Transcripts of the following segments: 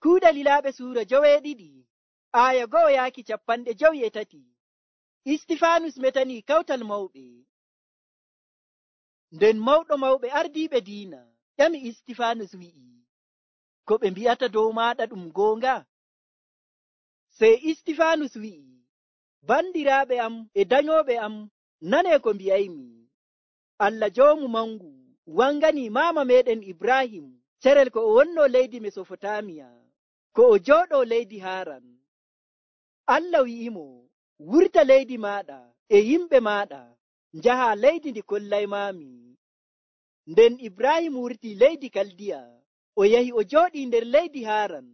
Kuuɗe Lilaaɓe suura 12 aya 1 yaaki 53. Istifaanus metanii kawtal mawɓe. Nden mawɗo mawɓe ardiiɓe diina ƴami Istifaanus wi'i, ko ɓe mbi'ata dow maaɗa ɗum goonga? Sey Istifaanus wi'i, bandiraaɓe am e danyooɓe am, nanee ko mbi'aymi. Allah joomu mangu wanganii maama meeɗen Ibrahim carel ko o wonnoo leydi Mesofotamiya, ko o jooɗoo leydi Haaran. Allah wi'imo, wurta leydi maaɗa e yimɓe maaɗa, njahaa leydi ndi kollaymaami. Nden Ibrahim wurtii leydi Kaldiya, o yahi o jooɗii nder leydi Haaran.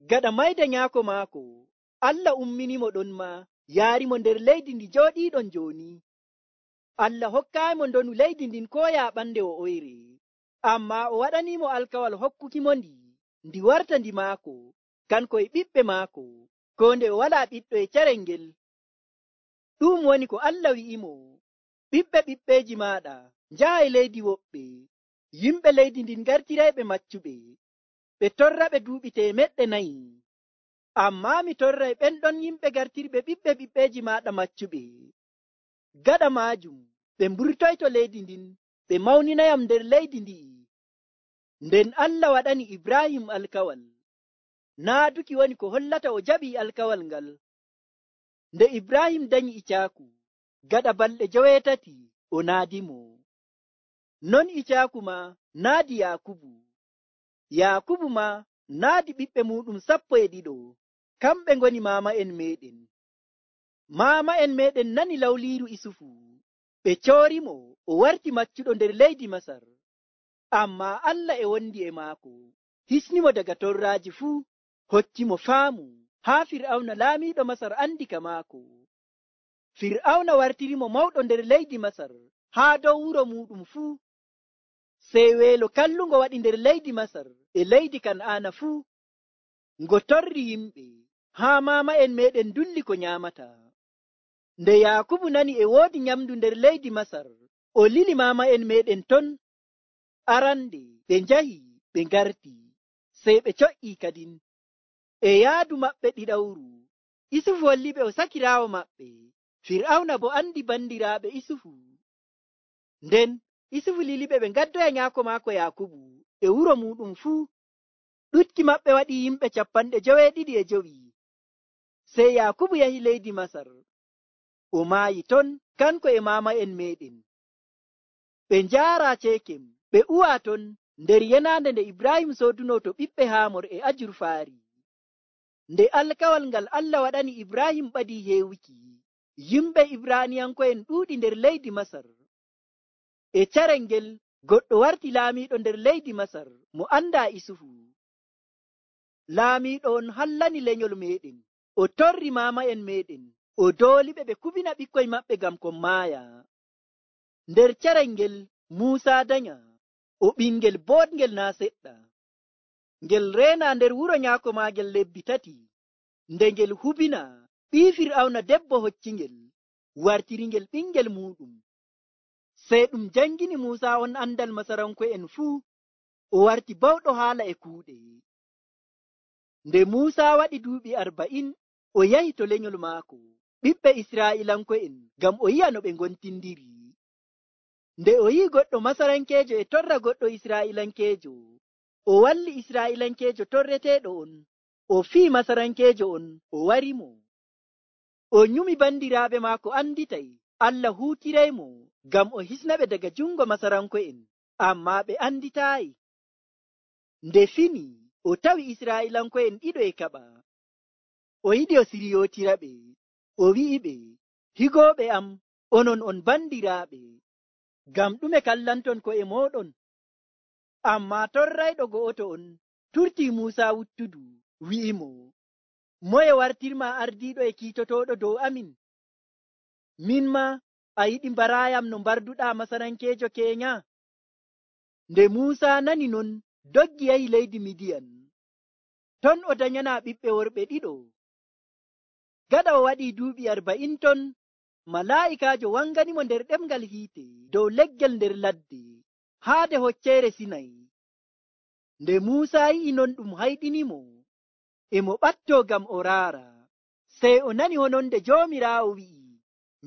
Gaɗa mayda nyaako maako, Allah umminimo ɗon ma yaarimo nder leydi ndi jooɗiiɗon jooni. Allah hokkaayimo ndonu leydi ndin koo yaaɓande o oyre, ammaa o waɗaniimo alkawal hokkukimo ndi warta ndi maako, kanko e ɓiɓɓe maako, koo nde o walaa ɓiɗɗo e carel ngel. Ɗum woni ko Allah wi'imo, ɓiɓɓeeji maaɗa njahay leydi woɓɓe, yimɓe leydi ndin ngartirayɓe maccuɓe, ɓe torraɓe duuɓi 400. Ammaa mi torray ɓen ɗon yimɓe gartirɓe ɓiɓɓeeji maaɗa maccuɓe. Gaɗa maajum ɓe mburtoyto leydi ndin, ɓe mawninayam nder leydi ndi'i. Nden Allah waɗani Ibrahim alkawal. Naaduki woni ko hollata o jaɓii alkawal ngal. Nde Ibrahim danyi Icaaku, gaɗa balɗe 8 o naadimo. Non Icaaku ma naadi Yaakubu. Yaakubu ma naadi ɓiɓɓe muɗum 12, kamɓe ngoni maama'en meeɗen. Maama'en meeɗen nani lawliiru Isufu, ɓe coorimo o warti maccuɗo nder leydi Masar. Ammaa Allah e wondi e maako, hisnimo daga torraaji fuu, hokkimo faamu haa Fir'awna laamiiɗo Masar andi ka maako. Fir'awna wartirimo mawɗo nder leydi Masar haa dow wuro muɗum fuu. Sey weelo kallungo waɗi nder leydi Masar e leydi Kan'aana fuu, ngo torri yimɓe haa maama'en meeɗen dulli ko nyaamata. Nde Yaakubu nani e woodi nyamdu nder leydi Masar, o lili maama'en meeɗen ton. Arande ɓe njahi ɓe ngarti, sey ɓe coƴƴii kadin. E yaadu maɓɓe ɗiɗawru, Isufu holliɓe o sakiraawo maɓɓe. Fir'awna bo andi bandiraaɓe Isufu. Nden Isufu liliɓe ɓe ngaddoya nyaako maako Yaakubu e wuro muɗum fuu. Ɗutki maɓɓe waɗi yimɓe 75. Sey Yaakubu yahi leydi Masar. O maayi ton kanko e maama'en meeɗen. Ɓe njaaraa Ceekem, ɓe uwaa ton nder yenaande nde Ibrahim sooduno to ɓiɓɓe Haamor e ajurfaari. Nde alkawal ngal Allah waɗani Ibrahim ɓadii heewuki, yimɓe Ibraaniyanko'en ɗuuɗi nder leydi Masar. E carel ngel goɗɗo warti laamiiɗo nder leydi Masar mo andaa Isufu. Laamiiɗo on hallani lenyol meeɗen, o torri maama'en meeɗen, o dooliɓe ɓe kubina ɓikkoy maɓɓe ngam kon maaya. Nder carel ngel Muusaa danya, o ɓingel boɗngel naa seɗɗa. Ngel reena nder wuro nyaako maagel lebbi 3, nde ngel hubina ɓii Fir'awna debbo hoccingel, wartiringel ɓingel muɗum. Sey ɗum jangini Muusaa on andal Masaranko'en fuu, o warti bawɗo haala e kuuɗe. Nde Muusaa waɗi duuɓi 40, o yahi to lenyol maako, ɓiɓɓe Israa'iilanko'en, ngam o yi'a no ɓe ngontindiri. Nde o yi'i goɗɗo Masarankeejo e torra goɗɗo Israa'iilankeejo, o walli Israa'iilankeejo torreteeɗo on, o fii Masarankeejo on, o warimo. O nyumi bandiraaɓe maako anditay Allah huutiraymo ngam o hisnaɓe daga jungo Masaranko'en, ammaa ɓe anditaayi. Nde fini, o tawi Israa'iilanko'en 2 e kaɓa. O yiɗi o siryootiraɓe, o wi'iɓe, higooɓe am, onon on bandiraaɓe, ngam ɗume kallanton ko'e mooɗon? Ammaa torrayɗo go'oto on turtii Muusaa wuttudu, wi'imo, moye wartirma ardiiɗo e kiitotooɗo dow amin? Min ma a yiɗi mbaraayam no mbarduɗaa Masarankeejo keenya? Nde Muusaa nani non, doggi yahi leydi Midiyan. Ton o danyanaa ɓiɓɓe worɓe 2. Gaɗa o waɗii duuɓi 40 ton, malaa'ikaajo wanganimo nder ɗemngal hiite dow leggel nder ladde, haade Hocceere Sinay. Nde Muusa yi'i non ɗum hayɗinimo, e mo ɓatto ngam o raara. Sey o nani hononde Joomiraawo wi'i,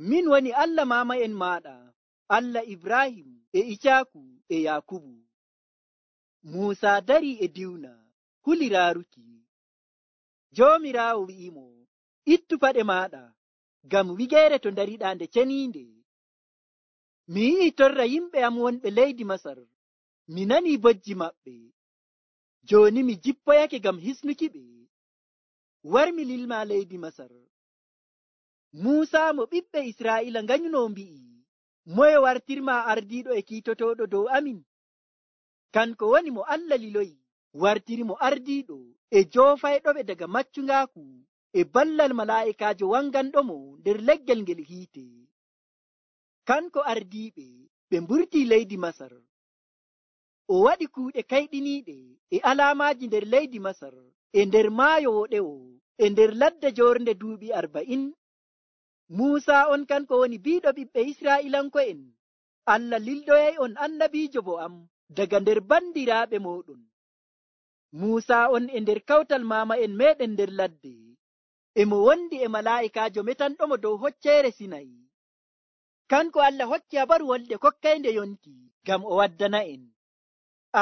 min woni Allah maama'en maaɗa, Allah Ibrahim e Icaaku e Yaakubu. Muusa darii e diwna, huli raaruki. Joomiraawo wi'imo, ittu paɗe maaɗa, ngam wigeere to ndariɗaa nde ceniinde. Mi yi'i torra yimɓe am wonɓe leydi Masar, mi nanii bojji maɓɓe. Jooni mi jippoyake ngam hisnuki ɓe. War mi lilma leydi Masar. Muusa mo ɓiɓɓe Israa'iila nganyunoo mbi'i, moye wartirma ardiiɗo e kiitotooɗo dow amin? Kanko woni mo Allah liloyi, wartiri mo ardiiɗo e joofayɗoɓe daga maccungaaku e ballal malaa'ikaajo wanganɗomo nder leggel ngel hiite. Kanko ardiiɓe ɓe mburtii leydi Masar. O waɗi kuuɗe kayɗiniiɗe e alaamaaji nder leydi Masar, e nder maayo woɗewo, e nder ladde joornde duuɓi 40. Muusa on kanko woni biiɗo ɓiɓɓe Israa'iilanko'en. Allah lildoyay on annabiijo bo am daga nder bandiraaɓe mooɗon. Muusa on e nder kawtal maama'en meeɗen nder ladde, e mo wondi e malaa'ikaajo metanɗomo dow hocceere Sinay. Kanko Allah hokki habaru wolde kokkaynde yonki ngam o waddana'en.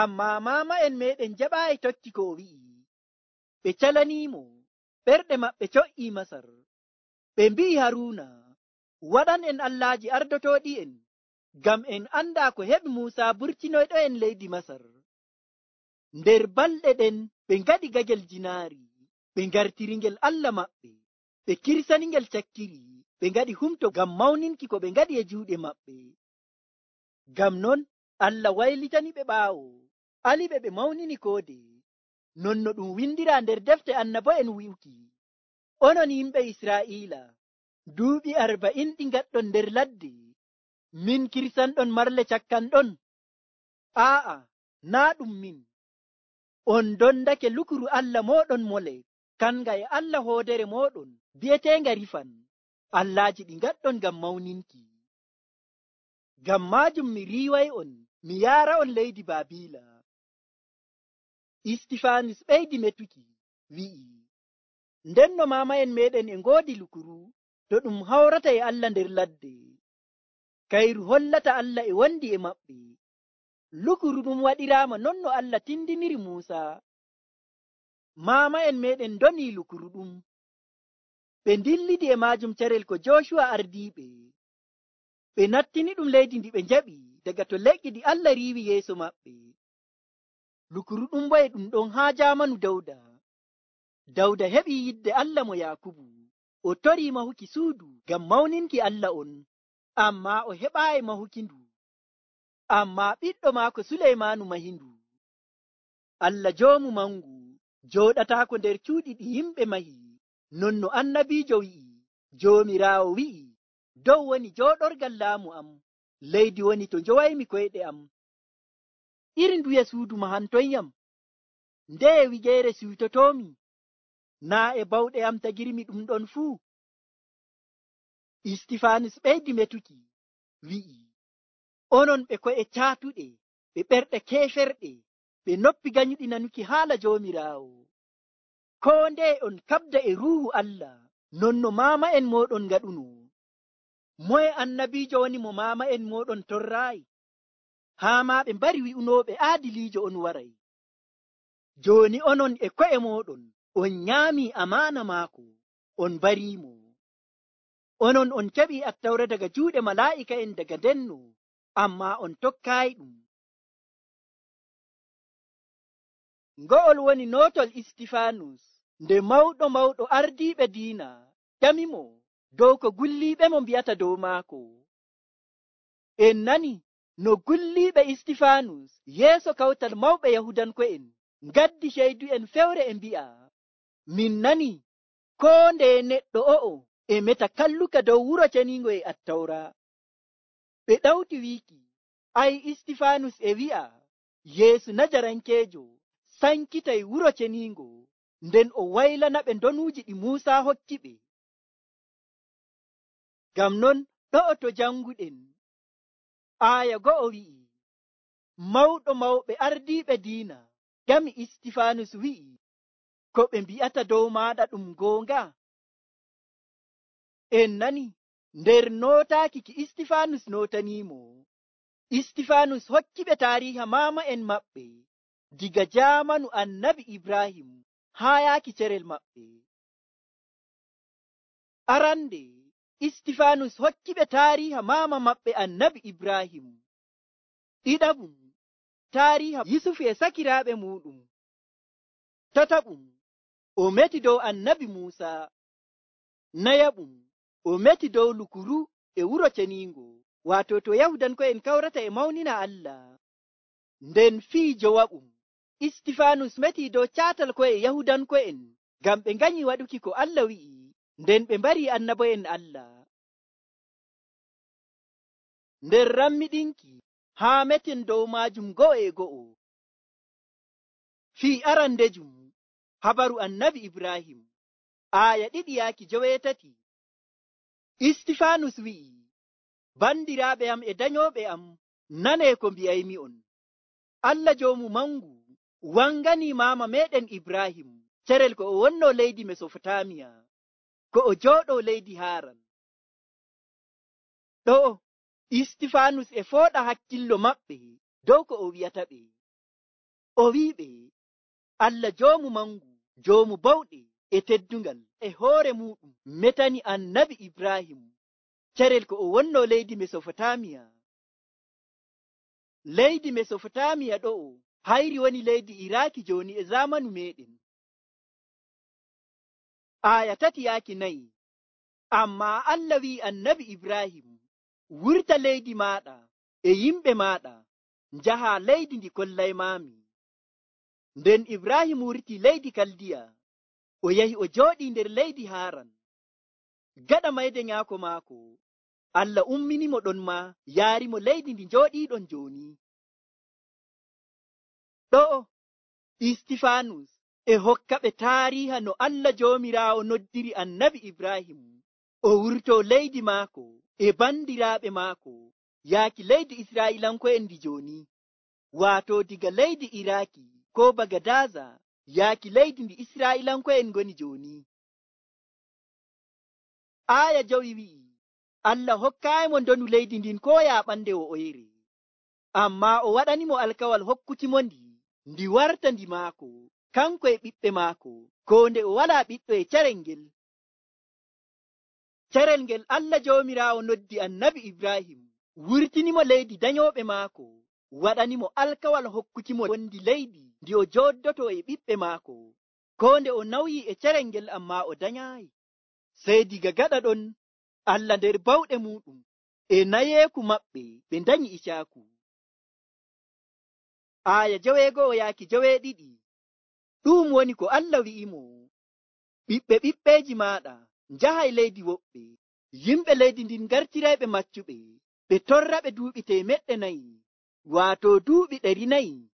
Ammaa maama'en meeɗen jaɓaayi tokki ko o wi'i. Ɓe calaniimo, ɓerɗe maɓɓe co'ii Masar. Ɓe mbi'i Haruuna, waɗan en allaaji ardotooɗi'en, ngam en andaa ko heɓi Muusa burtinoyɗo'en leydi Masar. Nder balɗe ɗen ɓe ngaɗi gagel jinaari, ɓe ngartiringel Allah maɓɓe, ɓe kirsaningel cakkiri, ɓe ngaɗi humto ngam mawninki ko ɓe ngaɗi e juuɗe maɓɓe. Ngam non Allah waylitani ɓe ɓaawo, aliɓe ɓe mawnini koode, non no ɗum windiraa nder defte annabo'en wi'uki, onon yimɓe Israa'iila, duuɓi 40 ɗi ngaɗɗon nder ladde, min kirsanɗon marle cakkanɗon? Aa'a, naa ɗum min. On dondake lukuru Allah mooɗon Molek, kanga e Allah hoodere mooɗon bi'eteenga Rifan, allaaji ɗi ngaɗɗon ngam mawninki. Ngam maajum mi riiway on, mi yaara on leydi Baabiila. Istifaanus ɓeydi metuki, wi'i, ndenno maama'en meeɗen e ngoodi lukuru to ɗum hawrata e Allah nder ladde. Kayru hollata Allah e wondi e maɓɓe. Lukuru ɗum waɗiraama non no Allah tindiniri Muusa. Maama'en meeɗen ndonii lukuru ɗum. Ɓe ndillidi e maajum carel ko Jooshuwa ardiiɓe. Ɓe nattini ɗum leydi ndi ɓe njaɓi daga to leƴƴi ɗi Allah riiwi yeeso maɓɓe. Lukuru ɗum bo e ɗum ɗon haa jaamanu Dawda. Dawda heɓii yidde Allah mo Yaakubu. O torii mahuki suudu ngam mawninki Allah on, ammaa o heɓaayi mahuki ndu. Ammaa ɓiɗɗo maako Suleymaanu mahi ndu. Allah joomu mangu jooɗataako nder cuuɗi ɗi yimɓe mahi, non no annabiijo wi'i. Joomiraawo wi'i, dow woni jooɗorgal laamu am, leydi woni to njowaymi koyɗe am. Iri nduye suudu mahantoyyam? Ndeye wigeere siwtotoomi? Naa e bawɗe am tagirmi ɗum ɗon fuu? Istifaanus ɓeydi metuki, wi'i, onon ɓe ko'e caatuɗe, ɓe ɓerɗe keeferɗe, ɓe noppi ganyuɗi nanuki haala Joomiraawo. Koo ndeye on kaɓda e ruuhu Allah, non no maama'en mooɗon ngaɗuno. Moye annabiijo woni mo maama'en mooɗon torraayi? Haa maa ɓe mbari wi'unooɓe aadiliijo on waray. Jooni onon e ko'e mooɗon on nyaamii amaana maako, on mbariimo. Onon on keɓii attawra daga juuɗe malaa'ika'en daga ndenno, ammaa on tokkaayi ɗum. Ngo'ol woni nootol Istifaanus nde mawɗo ardiiɓe diina ƴamimo dow ko gulliiɓe mo mbi'ata dow maako. En nani no gulliiɓe Istifaanus yeeso kawtal mawɓe Yahudanko'en ngaddi ceydu'en fewre e mbi'a, min nani koo ndeye neɗɗo o'o e meta kalluka dow wuro ceniingo e attawra. Ɓe ɗawti wiiki, ay Istifaanus e wi'a Yeesu Najarankeejo sankitay wuro ceniingo, nden o waylana ɓe ndonuuji ɗi Muusa hokki ɓe. Ngam non ɗo'o to janguɗen, aaya go'o wi'i, mawɗo mawɓe ardiiɓe diina ƴami Istifanus wi'i, ko ɓe mbi'ata dow maaɗa ɗum goonga? En nani nder nootaaki ki Istifanus nootaniimo, Istifanus hokkiɓe taariha maama'en maɓɓe diga jaamanu annabi Ibrahim haa yaaki cerel maɓɓe. Arande Istifanus hokkiɓe taariha maama maɓɓe annabi Ibrahim. Ɗiɗaɓum taariha Yusufu e sakiraaɓe muɗum. Tataɓum o meti dow annabi Muusa. Nayaɓum o meti dow lukuru e wuro ceniingo, waato to Yahudanko'en kawrata e mawnina Allah. Nden fii jowaɓum Istifanus meti dow caatal ko'e Yahudanko'en ngam ɓe nganyi waɗuki ko Allah wi'i, nden ɓe mbari annabo'en Allah. Nder rammiɗinki haa meten dow maajum go'o e go'o. Fii arandejum habaru annabi Ibrahim, aaya 2:17. Istifanus wi'i, bandiraaɓe am e danyooɓe am, nanee ko mbi'aymi'on. Allah joomu mangu wangani maama meɗen Ibrahim cerel ko o wonno leydi Mesopotamiya, ko o jooɗo leydi Haran. Ɗo Istifanus e fooɗa hakkillo maɓɓe dow ko o wi'ata ɓe. O wi'iɓe, Allah joomu mangu, joomu bawɗe e teddungal e hoore muɗum metani annabi Ibrahim cerel ko o wonno leydi Mesopotamiya. Leydi Mesopotamiya ɗo'o hayri woni leydi Iraki joni e zamanu meɗen. Aya 3:4. Amma Allah wi'i annabi Ibrahim, wurta leydi maɗa e yimɓe maɗa, njaha leydi ndi kollaymami. Nden Ibrahim wurti leydi Kaldiya, o yahi o jooɗi nder leydi Haran. Gaɗa mayde nyaako maako, Allah umminimo ɗon ma yaarimo leydi ndi jooɗiɗon joni. Ɗo Istifanus e hokkaɓe taariha no Allah joomiraawo noddiri annabi Ibrahim o wurto leydi maako e bandiraaɓe maako yaaki leydi Isra'ilanko'en ndi joni, waato diga leydi Iraki ko Bagadaza yaaki leydi ndi Isra'ilanko'en ngoni joni. Aya 5 wi'i, Allah hokkayimo ndonu leydi ndin ko yaɓande o oyre, amma o waɗanimo alkawal hokkutimo ndi warta ndi maako, kanko e ɓiɓɓe maako, ko nde o wala ɓiɗɗo e cerel ngel. Cerel ngel Allah joomiraawo noddi annabi Ibrahim wurtinimo leydi danyoɓe maako, waɗanimo alkawal hokkutimo wondi leydi ndi o joddoto e ɓiɓɓe maako, ko nde o nawyi e cerel ngel amma o danyayi. Sey diga gaɗa ɗon Allah nder bawɗe muɗum e nayeeku maɓɓe ɓe danyi Isaaku. Aya 6-2. Ɗum woni ko Allah wi'imo, ɓiɓɓe ɓiɓɓeji maɗa njahay leydi woɓɓe, yimɓe leydi ndin gartirayɓe maccuɓe, ɓe torraɓe duuɓi 400, waato duuɓi 400.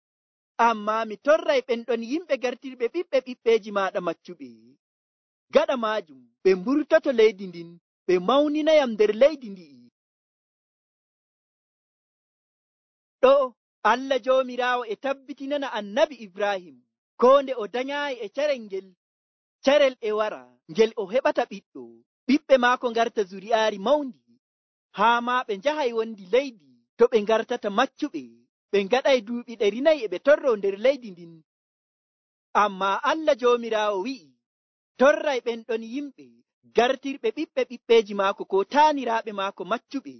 Amma mi torray ɓenɗon yimɓe gartirɓe ɓiɓɓe ɓiɓɓeji maɗa maccuɓe. Gaɗa majum ɓe mburtoto leydi ndin, ɓe mawninayam nder leydi ndi'i. Ɗo Allah joomiraawo e tabbitinana annabi Ibrahim ko nde o danyayi e cerel e wara ngel o heɓata ɓiɗɗo, ɓiɓɓe maako ngarta zuri'aari mawndi, haa ma ɓe njahay wondi leydi to ɓe ngartata maccuɓe, ɓe ngaɗay duuɓi 400 e ɓe torro nder leydi ndin. Amma Allah joomiraawo wi'i, torray ɓenɗon yimɓe gartirɓe ɓiɓɓe ɓiɓɓeji maako ko taaniraaɓe maako maccuɓe,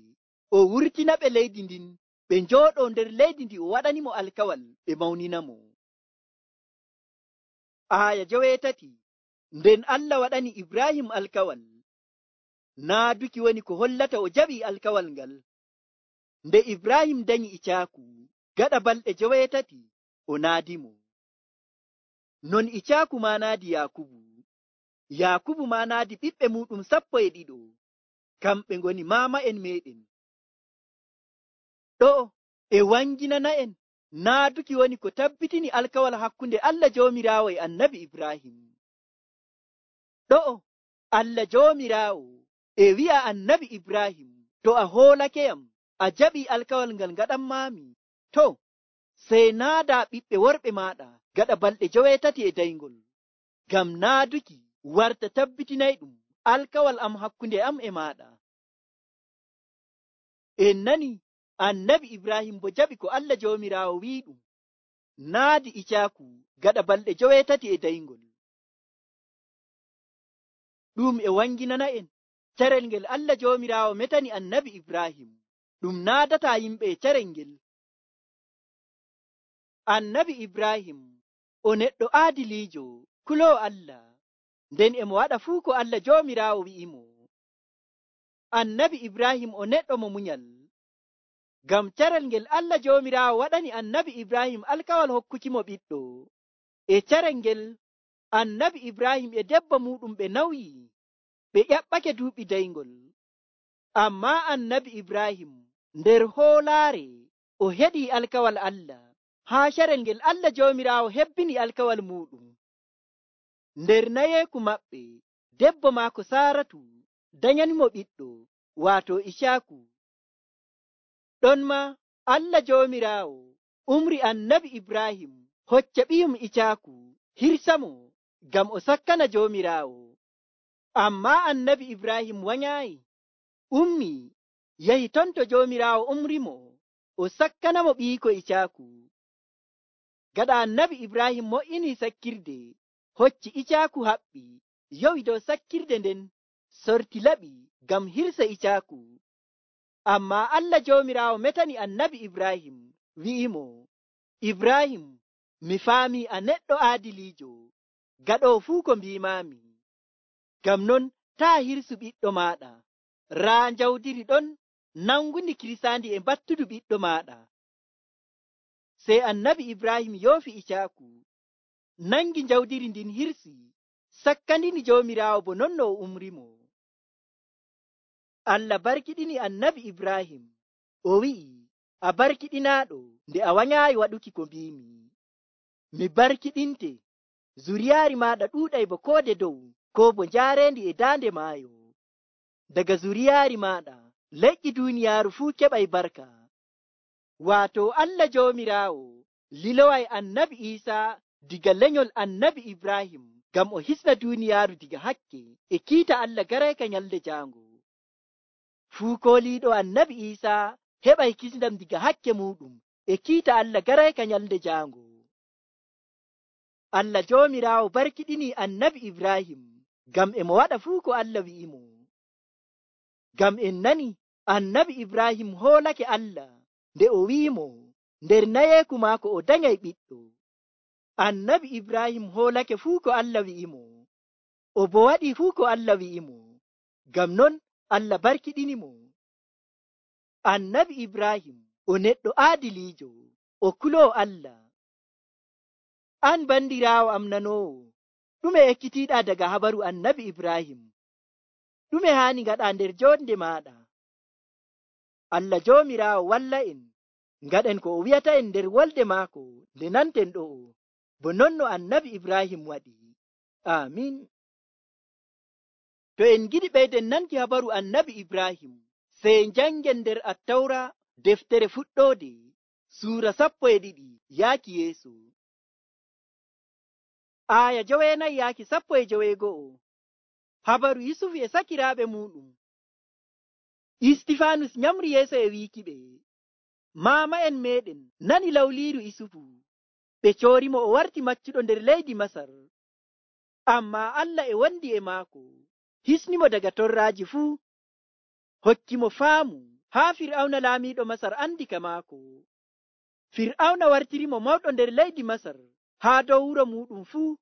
o wurtinaɓe leydi ndin, ɓe njooɗo nder leydi ndi o waɗanimo alkawal ɓe mawninamo. Aya 8. Nden Allah waɗani Ibrahim alkawal, naaduki woni ko hollata o jaɓi alkawal ngal. Nde Ibrahim danyi Isaaku, gaɗa balɗe 8 o naadimo. Non Isaaku ma naadi Yakubu, Yakubu ma naadi ɓiɓɓe muɗum 12, kamɓe ngoni maama'en meɗen. Ɗo e wanginana'en naaduki woni ko tabbitini alkawal hakkunde Allah joomiraawo e annabi Ibrahim. Ɗo Allah joomiraawo e wi'a annabi Ibrahim, to a hoolakeyam a jaɓi alkawal ngal ngaɗanmami, to sey naada ɓiɓɓe worɓe maaɗa gaɗa balɗe 7 ngam naaduki warta tabbitinayɗum alkawal am hakkunde am e maaɗa. En nani annabi Ibrahim bo jaɓi ko Allah Joomiraawo wi'iɗum, naadi Icaaku gaɗa balɗe 7. Ɗum e wanginana en carel ngel Allah Joomiraawo metani annabi Ibrahim, ɗum naadata yimɓe e carel ngel. Annabi Ibrahim o neɗɗo aadiliijo kuloo Allah, nden emo waɗa fuu ko Allah Joomiraawo wi'imo. Annabi Ibrahim o neɗɗo mo munyal, ngam carel ngel Allah Joomiraawo waɗani annabi Ibrahim alkawal hokkukimo ɓiɗɗo. E carel ngel annabi Ibrahim e debbo muɗum ɓe nawyi, ɓe ƴaɓɓake duuɓi 9. Ammaa annabi Ibrahim nder hoolaare o heɗii alkawal Allah, haa carel ngel Allah Joomiraawo hebbini alkawal muɗum. Nder nayeeku maɓɓe, debbo maako Saaratu danyanimo ɓiɗɗo, waato Icaaku. Ɗon ma Allah Joomiraawo umri annabi Ibrahim hocca ɓiyum Icaaku hirsamo ngam o sakkana Joomiraawo. Ammaa annabi Ibrahim wanyaayi, ummi yahi ton to Joomiraawo umrimo o sakkanamo ɓiyiko Icaaku. Gaɗa annabi Ibrahim mo'inii sakkirde, hocci Icaaku haɓɓi, yowi dow sakkirde nden, sorti laɓi ngam hirsa Icaaku. Ammaa Allah Joomiraawo metani annabi Ibrahim, wi'imo, Ibrahim, mi faamii a neɗɗo aadiliijo, gaɗoo fuu ko mbiimaami. Ngam non taa hirsu ɓiɗɗo maaɗa, raa njawdiri ɗon nangundi kirsaandi e battudu ɓiɗɗo maaɗa. Sey annabi Ibrahim yoofi Icaaku, nangi njawdiri ndin hirsi, sakkandini Joomiraawo bo non no o umrimo. Allah barkiɗini annabi Ibrahim, o wi'i, a barkiɗinaaɗo nde a wanyaayi waɗuki ko mbiimi. Mi barkiɗinte, zuriyaari maaɗa ɗuuɗay bo koode dow, ko bo njaareendi e daande maayo. Daga zuriyaari maaɗa leƴƴi duuniyaaru fuu keɓay barka. Waato Allah Joomiraawo liloway annabi Iisaa diga lenyol annabi Ibrahim ngam o hisna duuniyaaru diga hakke e kiita Allah garayka nyalde jaango. Fuu kooliiɗo annabi Iisaa heɓay kisndam diga hakke muɗum e kiita Allah garayka nyalde jaango. Allah Joomiraawo barkiɗini annabi Ibrahim ngam emo waɗa fuu ko Allah wi'imo. Ngam en nani annabi Ibrahim hoolake Allah nde o wi'imo nder nayeeku maako o danyay ɓiɗɗo. Annabi Ibrahim hoolake fuu ko Allah wi'imo, o bo waɗi fuu ko Allah wi'imo. Ngam non Allah barkiɗinimo. Annabi Ibrahim o neɗɗo aadiliijo, o kuloo Allah. An bandiraawo am nanoowo, ɗume ekkitiiɗaa daga habaru annabi Ibrahim? Ɗume haani ngaɗa nder joonde maaɗa? Allah Joomiraawo walla en, ngaɗen ko o wi'ata en nder wolde maako nde nanten ɗo'o, bo non no annabi Ibrahim waɗi. Amin. To en giɗi ɓeyden nanki habaru annabi Ibrahim, sey njangen nder Attawra deftere fuɗɗoode, suura 12 yaaki yeeso. Aya 9 yaaki 11. Habaru Yusufu e sakiraaɓe muɗum. Istifanus nyamri yeeso e wiikiɓe, maama en meɗen nani lawliiru Yusufu, ɓe coorimo o warti maccuɗo nder leydi Masar. Ammaa Allah e wondi e maako, hisnimo daga torraaji fuu, hokkimo faamu haa Fir'awna laamiiɗo Masar andi ka maako. Fir'awna wartirimo mawɗo nder leydi Masar haa dow wuro muɗum fuu.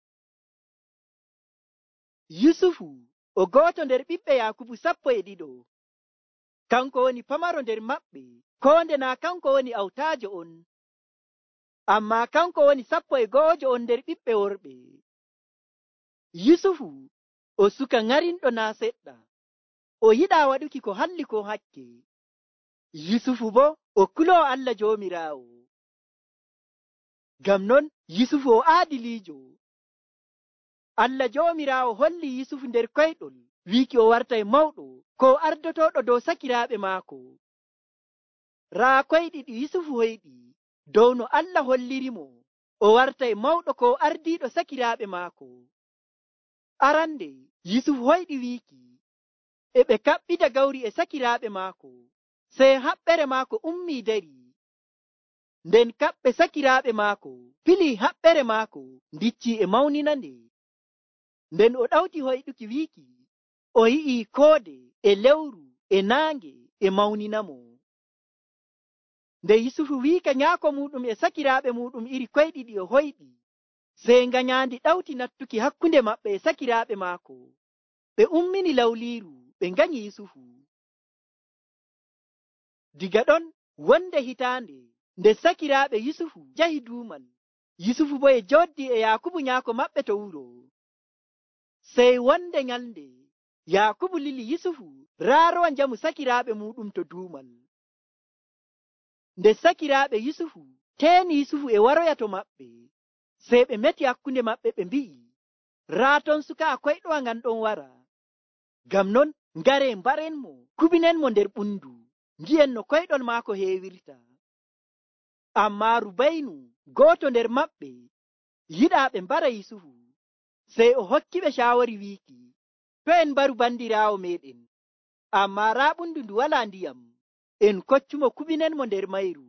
Yusufu o gooto nder ɓiɓɓe Yakubu 12. Kanko woni pamaro nder maɓɓe, ko nde naa kanko woni awtaajo on. Ammaa kanko woni 11 on nder ɓiɓɓe worɓe. Yusufu o suka ŋarinɗo naa seɗɗa, o yiɗaa waɗuki ko halli ko hakke. Yusufu bo o kuloo Allah Joomiraawo. Ngam non Yusufu o aadiliijo. Allah Joomiraawo holli Yusufu nder koyɗol, wiiki o wartay mawɗo ko ardotooɗo dow sakiraaɓe maako. Raa koyɗi ɗi Yusufu hoyɗi, dow no Allah hollirimo o wartay mawɗo ko ardiiɗo sakiraaɓe maako. Arande Yusuf hoyɗi wiiki e ɓe kaɓɓita gawri e sakiraaɓe maako, sey haɓɓere maako ummii dari. Nden kaɓɓe sakiraaɓe maako pilii haɓɓere maako ndiccii e mawninande. Nden o ɗawti hoyɗuki wiiki o yi'ii koode e lewru e naange e mawninamo. Nde Yusufu wiika nyaako muɗum e sakiraaɓe muɗum iri koyɗiɗi o hoyɗi, sey ngañaandi ɗawti nattuki hakkunde maɓɓe e sakiraaɓe maako. Ɓe ummini lawliiru ɓe nganyi Yusufu. Diga ɗon wonde hitaande nde sakiraaɓe Yusufu njahi duumal, Yusufu bo e jooɗdi e Yaakubu nyaako maɓɓe to wuro. Sey wonde nyalnde Yaakubu lili Yusufu raarowa njamu sakiraaɓe muɗum to duumal. Nde sakiraaɓe Yusufu teeni Yusufu e waroya to maɓɓe, sey ɓe meti hakkunde maɓɓe ɓe mbi'i, raa ton sukaa koyɗowa ngan ɗon wara. Ngam non ngare mbarenmo kubinenmo nder ɓundu, ngi'en no koyɗol maako heewirta. Ammaa Rubaynu gooto nder maɓɓe yiɗaa ɓe mbara Yusufu, sey o hokkiɓe caawori wiiki, to en mbaru bandiraawo meɗen, ammaa raa ɓundu ndu walaa ndiyam, en koccumo kubinenmo nder mayru.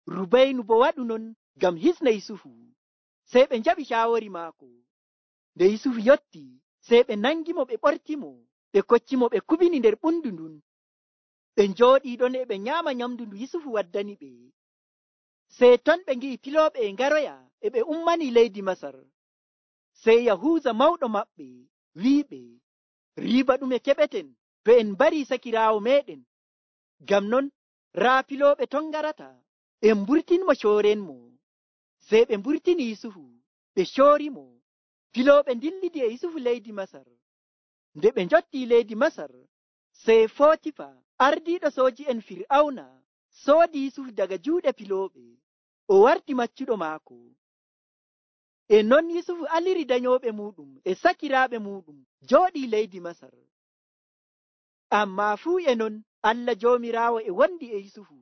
Rubaynu bo waɗu non ngam hisna Yusufu, sey ɓe njaɓi caawori maako. Nde Yusufu yotti, sey ɓe nangimo ɓe ɓortimo, ɓe koccimo ɓe kubini nder ɓundu ndun. Ɓe njooɗii ɗon e ɓe nyaama nyamdu ndu Yusufu waddani ɓe. Sey ton ɓe ngi'i pilooɓe e ngaroya e ɓe ummanii leydi Masar. Sey Yahuuza mawɗo maɓɓe wi'iɓe, riiba ɗume keɓeten to en mbarii sakiraawo meɗen. Ngam non raa pilooɓe ton ngarata, en mburtinmo coorenmo. Sey ɓe mburtini Yusufu, ɓe coorimo. Pilooɓe ndillidi e Yusufu leydi Masar. Nde ɓe njottii leydi Masar, sey Footifa ardiiɗo sooji'en Fir'awna soodi Yusufu daga juuɗe pilooɓe, o warti maccuɗo maako. E non Yusufu aliri danyooɓe muɗum e sakiraaɓe muɗum jooɗii leydi Masar. Ammaa fuu e non Allah Joomiraawo e wondi e Yusufu.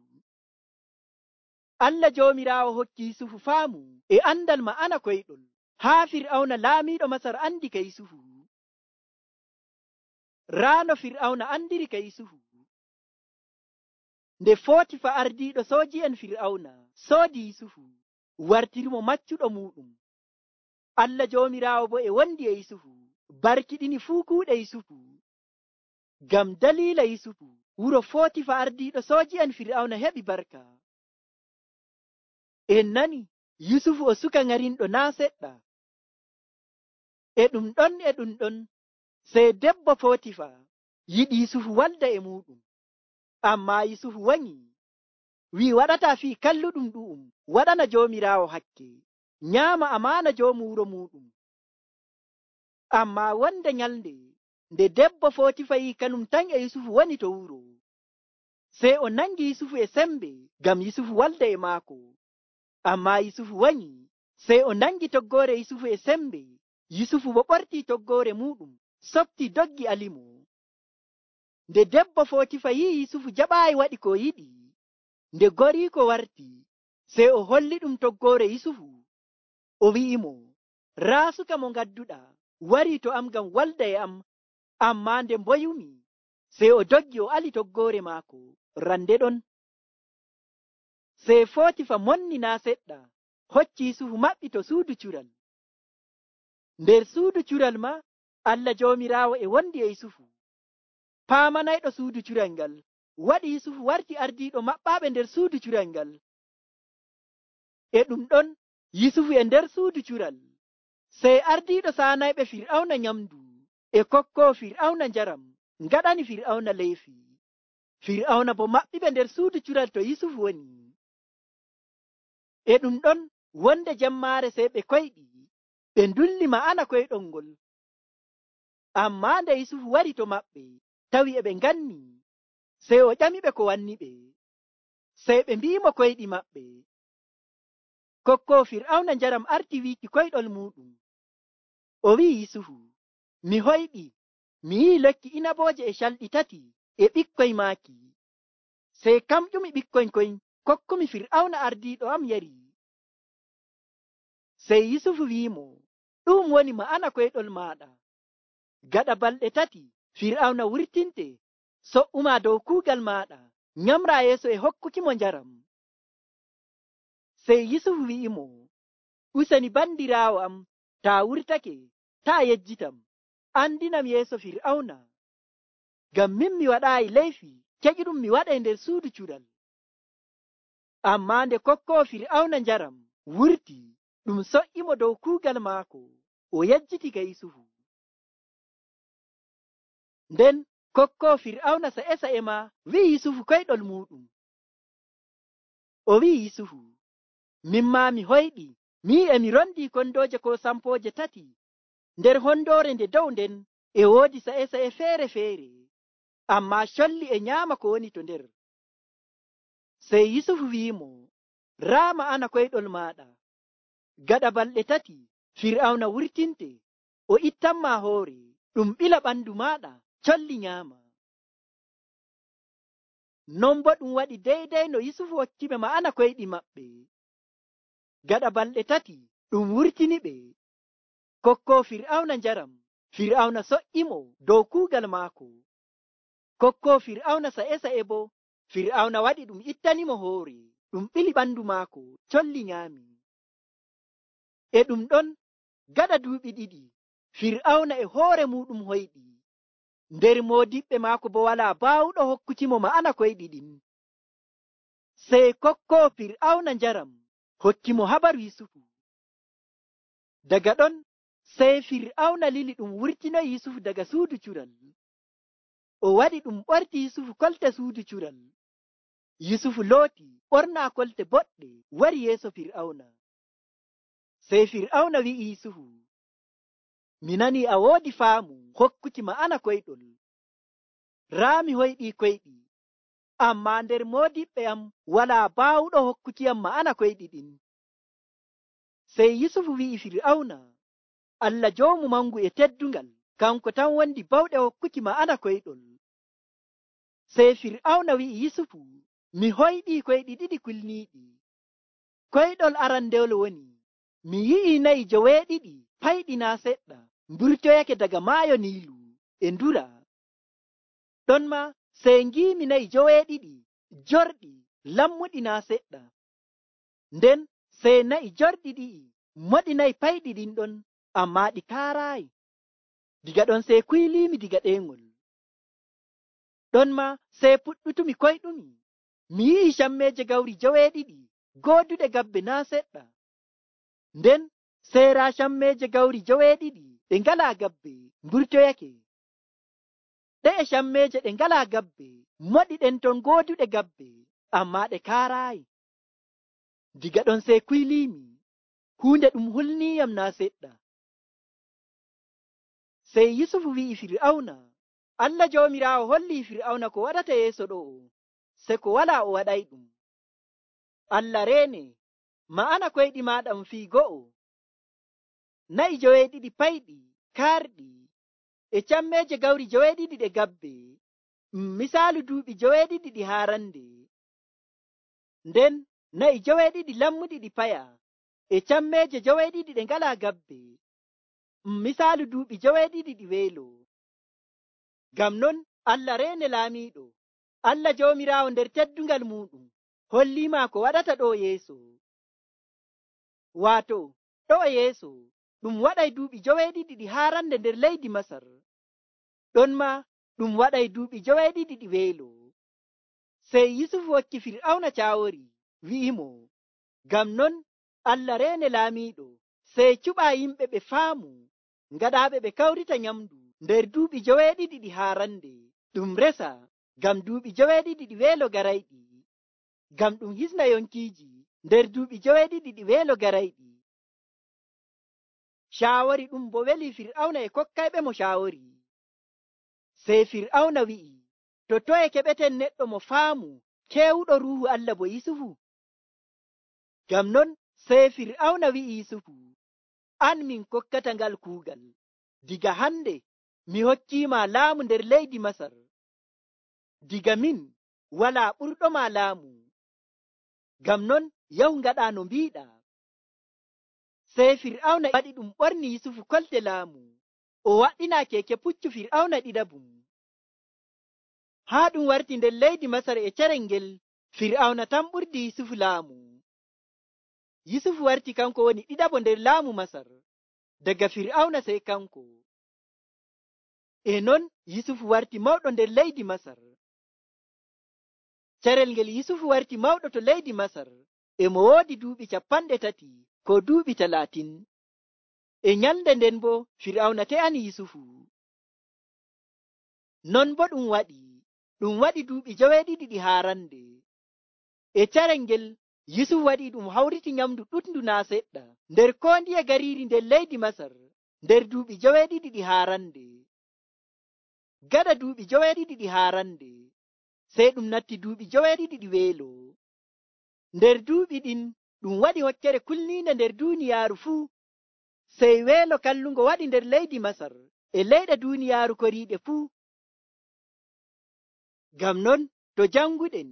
Allah Joomiraawo hokki Yusufu faamu e andal ma'ana koyɗol, haa Fir'awna laamiiɗo Masar andi ka Yusufu. Raano Fir'awna andiri ka Yusufu. Nde Footifa ardiiɗo sooji'en Fir'awna soodi Yusufu, wartirimo maccuɗo muɗum. Allah Joomiraawo bo e wondi e Yusufu, barkiɗini fuu kuuɗe Yusufu. Ngam daliila Yusufu, wuro Footifa ardiiɗo sooji'en Fir'awna heɓi barka. En nani Yusufu o suka ŋarinɗo naa seɗɗa. E ɗum ɗon, sey debbo Footifa yiɗi Yusufu walda e muɗum. Ammaa Yusufu wanyi, wi'i waɗataa fii kalluɗum ɗu'um, waɗana Joomiraawo hakke, nyaama amaana joomu wuro muɗum. Ammaa wonde nyalnde nde debbo Footifa yi'i kanum tan e Yusufu woni to wuro, sey o nangi Yusufu e sembe ngam Yusufu walda e maako. Ammaa Yusufu wanyi, sey o nangi toggoore Yusufu e sembe. Yusufu bo ɓortii toggoore muɗum, softii doggi alimo. Nde debbo Footifa yi'i Yusufu jaɓaayi waɗi ko yiɗi, nde goriiko warti, sey o holli ɗum toggoore Yusufu. O wi'imo, raa suka mo ngadduɗaa warii to am ngam walda e am. Ammaa nde mboyumi, sey o doggi o ali toggoore maako. Rande ɗon, sey Footifa monni naa seɗɗa, hocci Yusufu maɓɓi to suudu cural. Nder suudu cural ma Allah Joomiraawo e wondi e Yusufu. Paamanayɗo suudu cural ngal waɗi Yusufu warti ardiiɗo maɓɓaaɓe nder suudu cural ngal. E ɗum ɗon Yusufu e nder suudu cural, sey ardiiɗo saanayɓe Fir'awna nyamdu e kokkoo Fir'awna njaram ngaɗani Fir'awna leyfi. Fir'awna bo maɓɓiɓe nder suudu cural to Yusufu woni. E ɗum ɗon wonde jemmaare sey ɓe koyɗi, ɓe ndulli ma'ana koyɗol ngol. Ammaa nde Yusufu wari to maɓɓe, tawi e ɓe nganni, sey o ƴamiɓe ko wanni ɓe. Sey ɓe mbi'imo koyɗi maɓɓe. Kokkoo Fir'awna njaram arti wiiki koyɗol muɗum. O wi'i Yusufu, mi hoyɗi, mi yi'i lekki inabooje e calɗi tati e ɓikkoy maaki. Sey kam ƴumi ɓikkoy koy kokkumi fir'auna ardiiɗo am yari. Sey Yusufu wi'imo, ɗum woni ma'ana koyɗol maɗa. Gaɗa balɗe 3 fir'auna wurtinte so'uma dow kuugal maɗa, nyamra yeeso e hokkukimo njaram. Sey Yusufu wi'imo, useni bandiraawo am, taa wurtake taa yejjitam, andinam yeeso fir'auna, ngam min mi waɗaayi leyfi keƴuɗum mi waɗay nder suudu cuɗal. Ammaa nde kokkowo fir'auna njaram wurti, ɗum so'imo dow kuugal maako, o yejjiti ga Yusufu. Nden kokkowo fir'auna sa'e ma wi'i Yusufu koyɗol muɗum. O wi'i Yusufu, min maa mi hoyɗi, mi mi rondi kondooje ko sampooje 3 nder hondoore nde dow nden e woodi sa'e feere-feere, ammaa colli e nyaama ko woni to nder. Sey Yusufu wi'imo, raa ma'ana koyɗol maɗa. Gaɗa balɗe 3 fir'auna wurtinte, o ittanma hoore, ɗum ɓila ɓandu maɗa, colli nyaama. Non bo ɗum waɗi deydey no Yusufu hokkiɓe ma'ana koyɗi maɓɓe. Gaɗa balɗe 3 ɗum wurtiniɓe, kokkowo fir'auna njaram, fir'auna so'imo dow kuugal maako. Kokkowo fir'auna sa'e bo fir'auna waɗi ɗum ittanimo hoore, ɗum ɓili ɓandu maako, colli nyaami. E ɗum ɗon gaɗa duuɓi 2 fir'auna e hoore muɗum hoyɗi, nder moodiɓɓe maako bo wala baawuɗo hokkutimo ma'ana koyɗi ɗin. Sey kokkowo fir'auna njaram hokkimo habaru Yusufu. Daga ɗon sey fir'auna lili ɗum wurtinoyi Yusufu daga suudu cural. O waɗi ɗum ɓorti Yusufu kolte suudu cural. Yusufu looti ɓorna kolte boɗɗe wari yeeso fir'auna. Sey fir'auna wi'i Yusufu, mi nani a woodi faamu hokkuki ma'ana koyɗol. Raa mi hoyɗi koyɗi, ammaa nder moodiɓɓe am wala baawuɗo hokkukiyam ma'ana koyɗi ɗin. Sey Yusufu wi'i fir'auna, Allah joomu mangu e teddungal, kanko tan wondi bawɗe hokkuki ma'ana koyɗol. Sey fir'auna wi'i Yusufu, mi hoyɗi koyɗi 2 kulniiɗi. Koyɗol arandewol woni, mi yi'i nayi joweeɗiɗi payɗina seɗɗa mburtoyake daga maayo Niilu e ndura. Ɗon ma sey ngiimi nayi joweeɗiɗi jorɗi lammuɗi naa seɗɗa. Nden sey nayi jorɗi ɗi'i moɗi nayi payɗi ɗin ɗon, ammaa ɗi kaaraayi. Diga ɗon sey kuylimi diga ɗeengol. Ɗon ma sey puɗɗutumi koyɗumi, mi yi'i cammeeje gawri joweeɗiɗi gooduɗe gabbe naa seɗɗa. Nden sey raa cammeeje gawri joweeɗiɗi ɗe ngalaa gabbe mburtoyake. Ɗe e cammeeje ɗe ngalaa gabbe moɗi ɗen ton gooduɗe gabbe, ammaa ɗe kaaraayi. Diga ɗon sey kuylimi, huunde ɗum hulniiyam naa seɗɗa. Sey Yusufu wi'i fir'auna, Allah joomiraawo holli fir'auna ko waɗata yeeso ɗo'o, se ko walaa o waɗay ɗum. Allah reene, ma'ana koyɗi maaɗa fii go'o. Nayi joweeɗiɗi payɗi kaarɗi e cammeeje gawri joweeɗiɗi ɗe gabbe, misaalu duuɓi joweeɗiɗi ɗi haarande. Nden nayi joweeɗiɗi lammuɗi ɗi paya e cammeeje joweeɗiɗi ɗe ngalaa gabbe, misaalu duuɓi joweeɗiɗi ɗi weelo. Ngam non Allah reene laamiiɗo, Allah joomiraawo nder teddungal muɗum holliima ko waɗata ɗo yeeso. Waato ɗo yeeso ɗum waɗay duuɓi joweeɗiɗi ɗi haarande nder leydi Masar. Ɗon ma ɗum waɗay duuɓi joweeɗiɗi ɗi weelo. Sey Yusufu hokki fir'auna caawori, wi'imo, ngam non Allah reene laamiiɗo, sey cuɓa yimɓe ɓe faamu, ngaɗaaɓe ɓe kawrita nyamdu nder duuɓi joweeɗiɗi ɗi haarande, ɗum resa ngam duuɓi joweeɗiɗi ɗi weelo garayɗi, ngam ɗum hisna yonkiiji nder duuɓi joweeɗiɗi ɗi weelo garayɗi. Caawori ɗum bo weli fir'auna e kokkayɓe mo caawori. Sey fir'auna wi'i, to toye keɓeten neɗɗo mo faamu keewuɗo ruuhu Allah bo Yusufu? Ngam non sey fir'auna wi'i Yusufu, an min kokkata ngal kuugal. Diga hande mi hokkiima laamu nder leydi Masar. Diga min walaa ɓurɗoma laamu. ngam non yahu ngaɗa no mbiɗa. Sey Fir'auna waɗi ɗum ɓorni Yusufu kolte laamu, o waɗɗina keke puccu Fir'auna ɗiɗabum. Haa ɗum warti nder leydi Masar e carel ngel Fir'auna tan ɓurdi Yusufu laamu. Yusufu warti kanko woni ɗiɗabo nder laamu Masar, daga Fir'auna sey kanko. E non Yusufu warti mawɗo nder leydi Masar. Carel ngel Yusufu warti mawɗo to leydi Masar, e mo woodi duuɓi 30 ko duuɓi 30. E nyalnde nden bo Fir'auna te'ani Yusufu. Non bo ɗum waɗi duuɓi 70 haarande. E carel ngel Yusufu waɗi ɗum hawriti nyamdu ɗuɗndu naa seɗɗa nder ko ndiye gariiri nder leydi Masar nder duuɓi 70 haarande. Gaɗa duuɓi 70 haarande, sey ɗum natti duuɓi 70 weelo. Nder duuɓi ɗin ɗum waɗi hokkere kulniinde nder duuniyaaru fuu. Sey weelo kallungo waɗi nder leydi Masar e leyɗe duuniyaaru koriiɗe fuu. Ngam non to janguɗen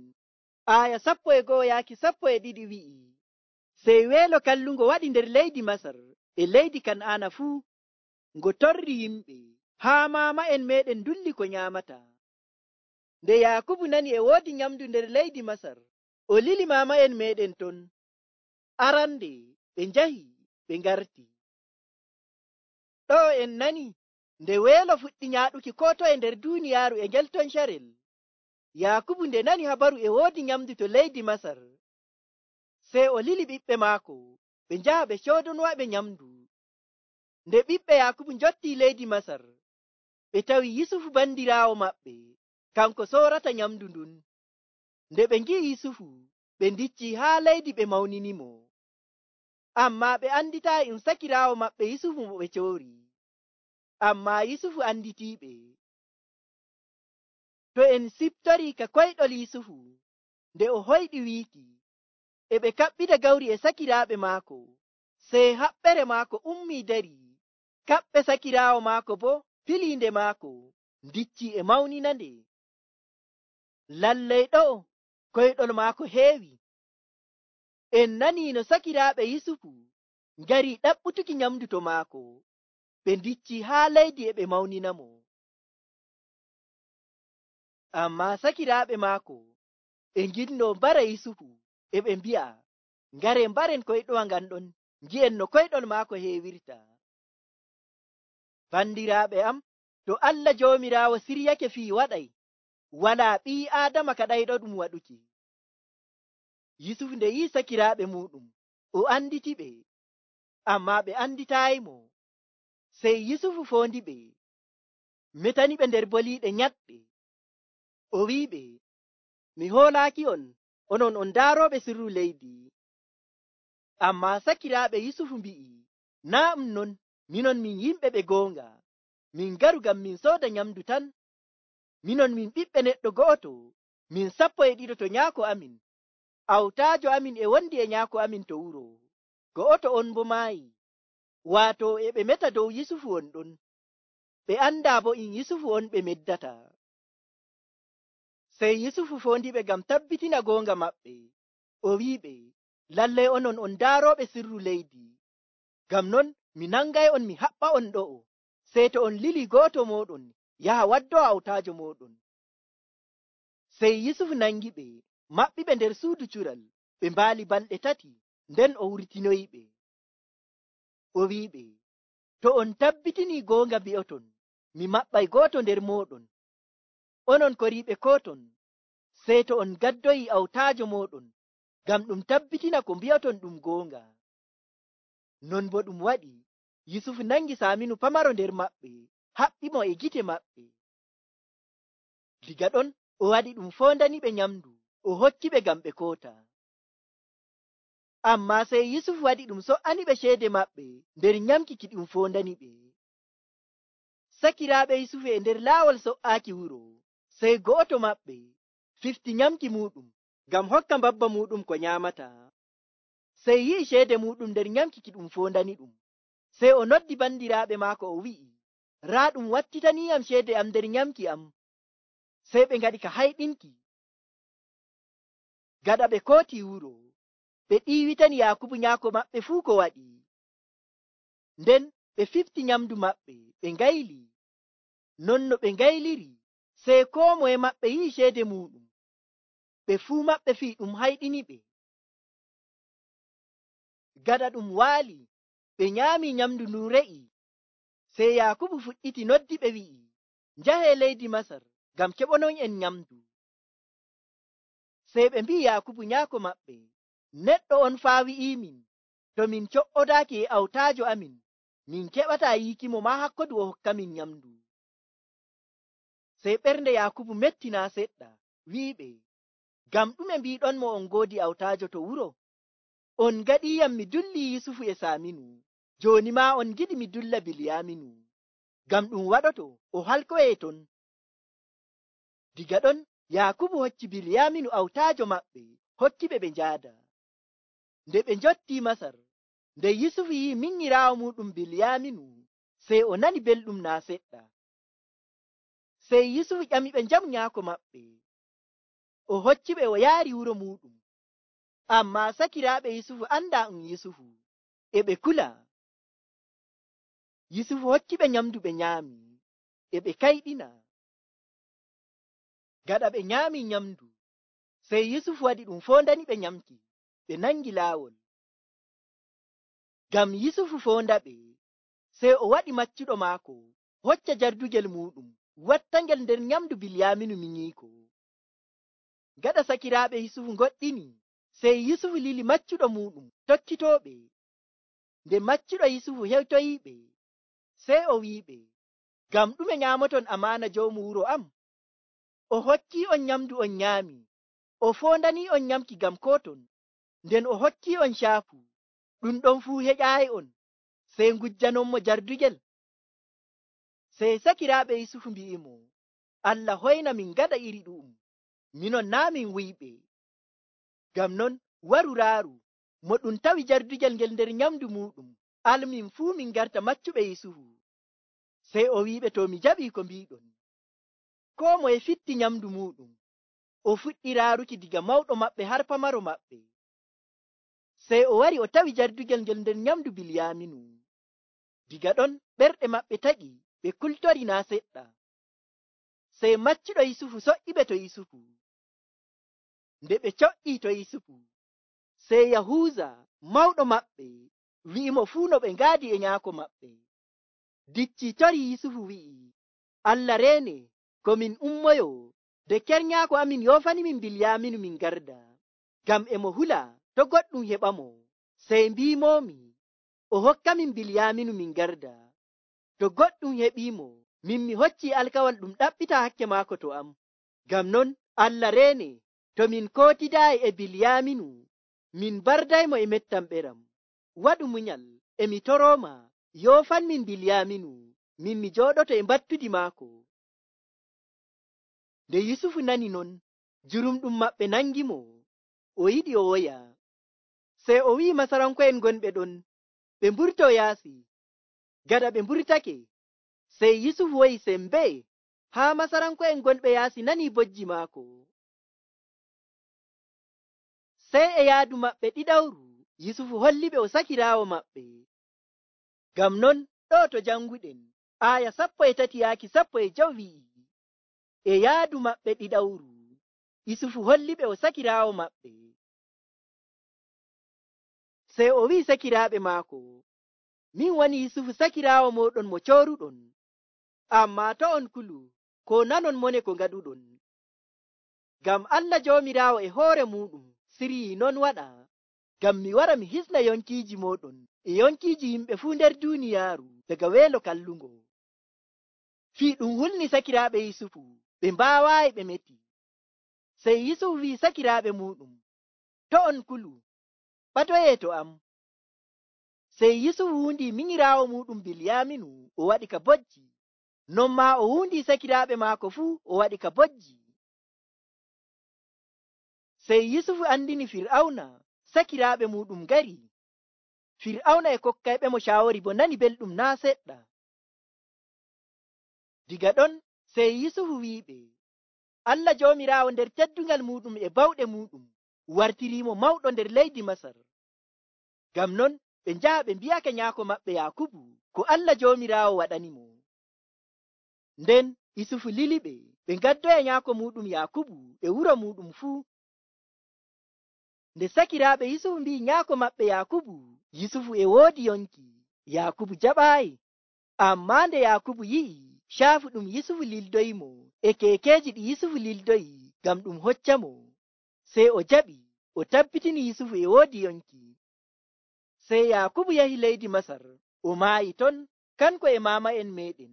aya 11-12 wi'i, sey weelo kallungo waɗi nder leydi Masar e leydi Kan'aana fuu, ngo torri yimɓe haa maama'en meɗen ndulli ko nyaamata. Nde Yaakubu nani e woodi nyamdu nder leydi Masar, o lili maama'en meɗen ton. Arande ɓe njahi ɓe ngarti. Ɗo en nani nde weelo fuɗɗi nyaaɗuki ko toye nder duuniyaaru e ngel ton carel. Yaakubu nde nani habaru e woodi nyamdu to leydi Masar, sey o lili ɓiɓɓe maako ɓe njaha ɓe coodonowaɓe nyamdu. Nde ɓiɓɓe Yaakubu njotti leydi Masar, ɓe tawi Yusufu bandiraawo maɓɓe kanko soorata nyamdu ndun. Nde ɓe ngi'i Yusufu, ɓe ndicci haa leydi ɓe mawninimo. Ammaa ɓe anditaayi ɗum sakiraawo maɓɓe Yusufu mo ɓe coori. Ammaa Yusufu anditiiɓe. To en siftorii ka koyɗol Yusufu nde o hoyɗi wiiki, e ɓe kaɓɓida gawri e sakiraaɓe maako, sey haɓɓere maako ummii dari. Kaɓɓe sakiraawo maako bo filiinde maako ndicci e mawninande. Lallay ɗo'o koyɗol maako heewi. En nanii no sakiraaɓe Yusufu ngari ɗaɓɓutuki nyamdu to maako, ɓe ndicci haa leydi e ɓe mawninamo. Ammaa sakiraaɓe maako ɓe nginnoo mbara Yusufu, e ɓe mbi'a, ngare mbaren koyɗowa ngan ɗon, ngi'en no koyɗol maako heewirta. Bandiraaɓe am, to Allah Joomiraawo siryake fii waɗay, walaa ɓii Aadama kaɗayɗo ɗum waɗuki. Yusufu nde yi'i sakiraaɓe muuɗum, o anditiɓe, ammaa ɓe anditaayimo. Sey Yusufu foondiɓe, metaniɓe nder boliiɗe nyaɗɗe. O wi'iɓe, mi hoolaaki on, onon on daarooɓe sirru leydi. Ammaa sakiraaɓe Yusufu mbi'i, naa ɗum non, minon min yimɓe ɓe goonga, min ngaru ngam min sooda nyamdu tan. Minon min ɓiɓɓe neɗɗo go'oto, min 12 to nyaako amin. Awtaajo amin e wondi e nyaako amin to wuro, go'oto on bo maayi. Waato e ɓe meta dow Yusufu on ɗon, ɓe andaa bo in Yusufu on ɓe meddata. Sey Yusufu foondiɓe ngam tabbitina goonga maɓɓe, o wi'iɓe, lallay onon on daarooɓe sirru leydi. Ngam non mi nangay on mi haɓɓa on ɗo'o, sey to on lili go'oto mooɗon yaha waddowa awtaajo mooɗon. Sey Yusufu nangiɓe, maɓɓiɓe nder suudu cural, ɓe mbaali balɗe 3, nden o wurtinoyiɓe. O wi'iɓe, to on tabbitinii goonga mbi'oton, mi maɓɓay go'oto nder mooɗon. Onon koriiɓe kooton, sey to on gaddoyi awtaajo mooɗon, ngam ɗum tabbitina ko mbi'oton ɗum goonga. Non bo ɗum waɗi, Yusufu nangi Saaminu pamaro nder maɓɓe, haɓɓimo e gite maɓɓe. Diga ɗon o waɗi ɗum foondaniɓe nyamdu, o hokkiɓe ngam ɓe koota. Ammaa sey Yusufu waɗi ɗum so''aniɓe ceede maɓɓe nder nyamki ki ɗum foondaniɓe. Sakiraaɓe Yusufu e nder laawol so''aaki wuro, sey go'oto maɓɓe fifti nyamki muuɗum ngam hokka mbabba muuɗum ko nyaamata. Sey yi'i ceede muuɗum nder nyamki ki ɗum foondani ɗum, sey o noddi bandiraaɓe maako o wi'i, raa ɗum wattitaniiyam ceede am nder nyamki am. Sey ɓe ngaɗi ka hayɗinki. Gaɗa ɓe kooti wuro, ɓe ɗiiwitani Yakubu nyaako maɓɓe fuu ko waɗi. Nden ɓe fifti nyamdu maɓɓe ɓe ngayli. Non no ɓe ngayliri, sey koo moye maɓɓe yi'i ceede muɗum. Ɓe fuu maɓɓe fii ɗum hayɗini ɓe. Gaɗa ɗum waali, ɓe nyaami nyamdu ndun re'i. Sey Yakubu fuɗɗiti noddi ɓe wi'i, njahee leydi Masar ngam keɓonon en nyamdu. Sey ɓe mbi'i Yakubu nyaako maɓɓe, neɗɗo on faa wi'iimin, to min co'odaaki e awtaajo amin, min keɓataa yiikimo maa hakkodu o hokkamin nyamdu. Sey ɓernde Yakubu metti naa seɗɗa, wi'iɓe, ngam ɗume mbiiɗonmo on ngoodi awtaajo to wuro? On ngaɗiiyam mi dulli Yusufu e Saaminu, jooni maa on ngiɗi mi dulla Bilyaaminu. Ngam ɗum waɗoto o halkoyee ton. Diga ɗon Yakubu hocci Bilyaaminu awtaajo maɓɓe, hokkiɓe ɓe njaada. Nde ɓe njottii Masar, nde Yusufu yi'i minyiraawo muɗum Bilyaaminu, sey o nani belɗum naa seɗɗa. Sey Yusufu ƴami ɓe njamu nyaako maɓɓe, o hocciɓe o yaari wuro muɗum. Ammaa sakiraaɓe Yusufu andaa Yusufu, e ɓe kula. Yusufu hokkiɓe nyamdu ɓe nyaami, e ɓe kayɗina. Gaɗa ɓe nyaami nyamdu, sey Yusufu waɗi ɗum foondani ɓe nyamki, ɓe nangi laawol. Ngam Yusufu foonda ɓe, sey o waɗi maccuɗo maako, hocca jardugel muɗum, wattangel nder nyamdu Bilyaaminu minyiiko. Gaɗa sakiraaɓe Yusufu ngoɗɗini, sey Yusufu lili maccuɗo muɗum tokkitooɓe. Nde maccuɗo Yusufu hewtoyiiɓe, sey o wi'iɓe, ngam ɗume nyaamoton amaana joomu wuro am? O hokkii on nyamdu on nyaami, o foondanii on nyamki ngam kooton, nden o hokkii on caafu, ɗum ɗon fuu heƴaayi on, sey ngujjanonmo jardugel. Sey sakiraaɓe Yusufu mbi'imo, Allah hoyna min ngaɗa iri ɗu'um, minon naa min wuyɓe. Ngam non waru raaru, mo ɗum tawi jardugel ngel nder nyamdu muɗum, almin fuu min garta maccuɓe Yusufu. Sey o wi'iɓe, to mi jaɓii ko mbiɗon. Koo moye fitti nyamdu muɗum, o fuɗɗi raaruki diga mawɗo maɓɓe har pamaro maɓɓe. Sey o wari o tawi jardugel ngel nder nyamdu Bilyaaminu. Diga ɗon ɓerɗe maɓɓe taƴi, ɓe kultori naa seɗɗa. Sey maccuɗo Yusufu soƴƴiɓe to Yusufu. Nde ɓe coƴƴii to Yusufu, sey Yahuuza mawɗo maɓɓe wi'imo fuu no ɓe ngaadi e nyaako maɓɓe. Diccii tori Yusufu wi'i, Allah reene, ko min ummoyo, de kernyaako amin yoofani min Bilyaaminu min garda, ngam e mo hula to goɗɗum heɓamo. Sey mbiimoomi, o hokka min Bilyaaminu min garda. To goɗɗum heɓiimo, min mi hoccii alkawal ɗum ɗaɓɓita hakke maako to am. Ngam non Allah reene, to min kootidaayi e Bilyaaminu, min bardaymo e mettam ɓeram. Waɗu munyal, e mi torooma, yoofan min Bilyaaminu, min mi jooɗoto e mbattudi maako. Nde Yusufu nani non, jurumɗum maɓɓe nangimo, o yiɗi o woya. Sey o wi'i Masaranko'en gonɓe ɗon, ɓe mburto yaasi. Gaɗa ɓe mburtake, sey Yusufu woyi sembee, haa Masaranko'en gonɓe yaasi nani bojji maako. Sey e yaadu maɓɓe ɗiɗawru, Yusufu holliɓe o sakiraawo maɓɓe. Ngam non ɗo to janguɗen, aaya 13 yaaki 15 wi'i, e yaadu maɓɓe ɗiɗawru, Yusufu holliɓe o sakiraawo maɓɓe. Sey o wi'i sakiraaɓe maako, min woni Yusufu sakiraawo mooɗon mo cooruɗon, ammaa to on kulu, ko nanon mone ko ngaɗuɗon. Ngam Allah Joomiraawo e hoore muɗum siryii non waɗa, ngam mi wara mi hisna yonkiiji mooɗon e yonkiiji yimɓe fuu nder duuniyaaru daga weelo kallungo. Fii ɗum hulni sakiraaɓe Yusufu, ɓe mbaawaayi ɓe meti. Sey Yusufu wi'i sakiraaɓe muɗum, to on kulu, ɓadoyee to am. Sey Yusufu wuundii minyiraawo muɗum Bilyaaminu, o waɗi ka bojji. Non maa o wuundii sakiraaɓe maako fuu, o waɗi ka bojji. Sey Yusufu andini Fir'awna, sakiraaɓe muɗum ngari. Fir'awna e kokkayɓe mo caawori bo nani belɗum naa seɗɗa. Diga ɗon sey Yusufu wi'iɓe, Allah Joomiraawo nder teddungal muɗum e bawɗe muɗum wartirimo mawɗo nder leydi Masar. Ngam non ɓe njaha ɓe mbi'ake nyaako maɓɓe Yakubu ko Allah Joomiraawo waɗanimo. Nden Isufu liliɓe ɓe ngaddoya nyaako muɗum Yakubu e wuro muɗum fuu. Nde sakiraaɓe Yusufu mbi'i nyaako maɓɓe Yakubu, Yusufu e woodi yonki. Yakubu jaɓaayi. Ammaa nde Yakubu yi'i caafu ɗum Yusufu lildoyimo e keekeeji ɗi Yusufu lildoyi ngam ɗum hoccamo, sey o jaɓi o tabbitini Yusufu e woodi yonki. Sey Yakubu yahi leydi Masar, o maayi ton kanko e maama'en meeɗen.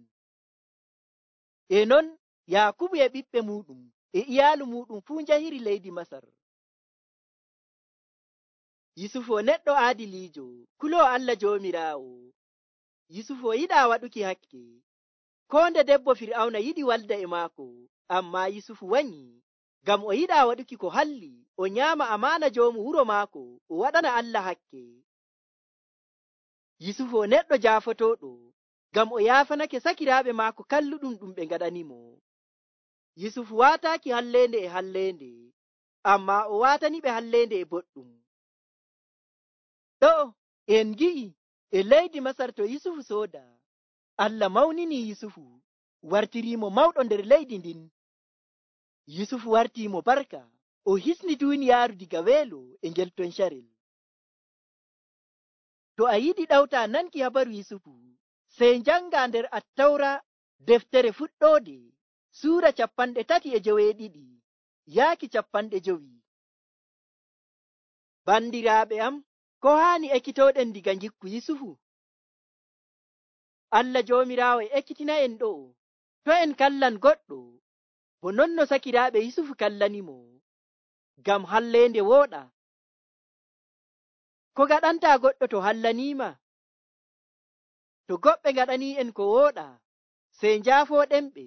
E non Yakubu e ɓiɓɓe muɗum e iyaalu muɗum fuu njahiri leydi Masar. Yusufu o neɗɗo aadiliijo, kuloo Allah Joomiraawo. Yusufu o yiɗaa waɗuki hakke. Koo nde debbo Fir'awna yiɗi walda e maako, ammaa Yusufu wanyi, ngam o yiɗaa waɗuki ko halli, o nyaama amaana joomu wuro maako, o waɗana Allah hakke. Yusufu o neɗɗo jaafotooɗo, ngam o yaafanake sakiraaɓe maako kalluɗum ɗum ɓe ngaɗanimo. Yusufu waataaki halleende e halleende, ammaa o waataniɓe halleende e boɗɗum. Ɗo en ngi'i e leydi Masar to Yusufu sooda, Allah mawnini Yusufu, wartiriimo mawɗo nder leydi ndin. Yusufu wartiimo barka, o hisni duuniyaaru diga weelo e ngel ton carel. To a yiɗi ɗawtaa nanki habaru Yusufu, sey njanga nder Attawra deftere fuɗɗoode suura 32 yaaki 50. Bandiraaɓe am, ko haani ekkitooɗen diga ngikku Yusufu? Allah Joomiraawo ekkitina en ɗo, to en kallan goɗɗo bo non no sakiraaɓe Yusufu kallanimo, ngam halleende wooɗa. Ko gaɗantaa goɗɗo to hallaniima? To goɓɓe ngaɗanii'en ko wooɗa, sey njaafooɗenɓe.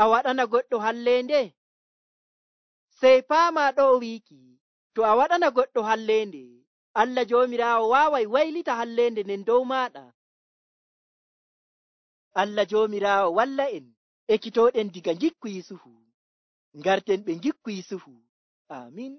A waɗana goɗɗo halleende? Sey paamaa ɗo o wiiki, to a waɗana goɗɗo halleende, Allah Joomiraawo waaway waylita halleende nden dow maaɗa. Allah Joomiraawo walla en ekkitooɗen diga ngikku Yusufu. Ngarten ɓe ngikku Yusufu. Aamin.